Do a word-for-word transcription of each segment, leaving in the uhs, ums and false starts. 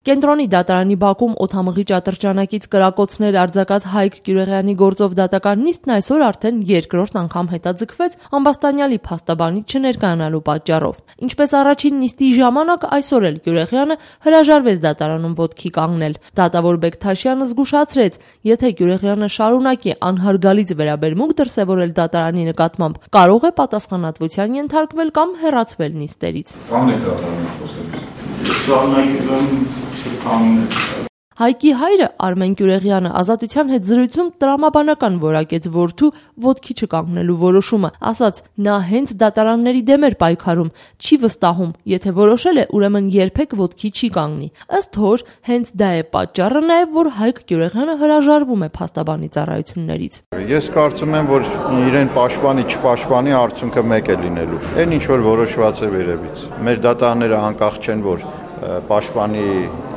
Կենտրոնի դատարանի բակում օդամղիչ ատրճանակից կրակոցներ արձակած Հայկ Կյուրեղյանի գործով դատական նիստն այսօր արդեն երկրորդ անգամ հետաձգվեց ամբաստանյալի փաստաբանիչ չներկայանալու պատճառով։ Ինչպես առաջին նիստի ժամանակ, այսօր էլ Կյուրեղյանը հրաժարվեց դատարանում ոտքի կանգնել։ Դատավոր Բեկթաշյանը զգուշացրեց, եթե Կյուրեղյանը շարունակի անհարգալից վերաբերմունք դրսևորել դատարանի նկատմամբ, կարող է պատասխանատվության ենթարկվել կամ հեռացվել նիստերից։ Հայկի հայրը Արմեն Կյուրեղյանը ազատության հետ զրույցում տրամաբանական որակեց որդու ոտքի չկանգնելու որոշումը, ասաց նա հենց դատարանների դեմ էր պայքարում, չի վստահում, եթե որոշել է, ուրեմն երբեք ոտքի չի կանգնի։ Ըստ հոր, հենց դա է պատճառը նաև, որ Հայկ Կյուրեղյանը հրաժարվում է փաստաբանի ծառայություններից։ Ես կարծում եմ, որ իրեն պաշտպանի չպաշտպանի արդյունքը մեկ է լինելու։ Այն ինչ որ որոշված է վերևից։ Մեր դատարանները անկախ չեն, որ պաշտպանի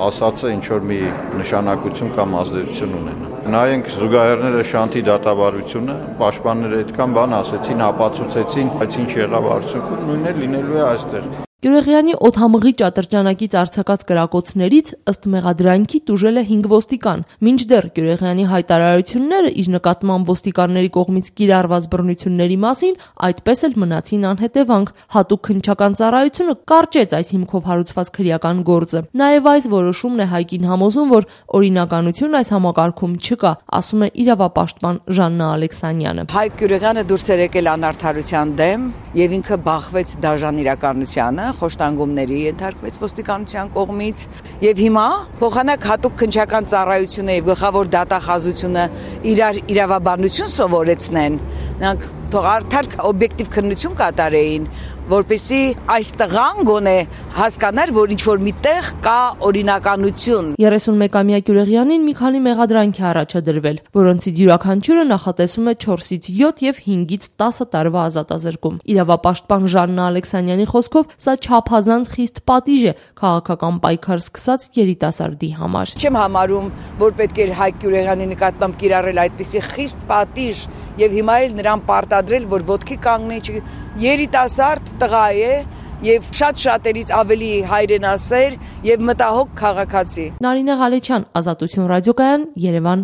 ասածը ինչ որ մի նշանակություն կամ ազդեցություն ունենա։ Նայենք զուգահեռները Շանթի դատավարությունը, պաշտպանները այդքան բան ասեցին, ապացուցեցին, բայց ինչ եղավ արդյունքում, նույնն է լինելու է այստեղ։ Կյուրեղյանի օդամղիչ ատրճանակից արձակած կրակոցներից ըստ մեղադրանքի տուժել է հինգ ոստիկան, մինչդեռ Կյուրեղյանի հայտարարությունները իր նկատմամբ ոստիկանների կողմից կիրառված բռնությունների մասին այդպես էլ մնացին անհետևանք։ Հատուկ քննչական ծառայությունը կարճեց այս հիմքով հարուցված քրեական գործը։ Նաև այս որոշումն է Հայկին համոզում, որ օրինականություն այս համակարգում չկա, ասում է իրավապաշտպան Ժաննա Ալեքսանյանը։ Հայկ Կյուրեղյանը դուրս էր եկել անարդարության դեմ եւ ինքը բախվեց դաժան իրականությանը, խոշտանգումների ենթարկվեց ոստիկանության կողմից եւ հիմա փոխանակ հատուկ քննչական ծառայությունը եւ գլխավոր դատախազությունը իրար իրավաբանություն սովորեցնեն, նրանք թող արդար օբյեկտիվ քննություն կատարեին, որպեսզի այս տղան գոնե հասկանար, որ ինչ որ միտեղ կա օրինականություն։ երեսունմեկամյա Կյուրեղյանին մի քանի մեղադրանք է առաջադրվել, որոնցից յուրաքանչյուրը նախատեսում է չորսից յոթ եւ հինգից տասը տարվա ազատազրկում։ Իրավապաշտպան Ժաննա Ալեքսանյանի խոսքով սա չափազանց խիստ պատիժ է քաղաքական պայքար սկսած երիտասարդի համար։ Չեմ համարում, որ պետք էր Հայկ Կյուրեղյանի նկատմամբ կիրառել այդպիսի խիստ պատիժ եւ հիմա էլ նրան պարտադրել, որ ոտքի կանգնի, երիտասարդ տղա է եւ շատ շատերից ավելի հայրենասեր եւ մտահոգ քաղաքացի։ Նարինե Ղալեչյան, Ազատություն ռադիոկայան, Երևան։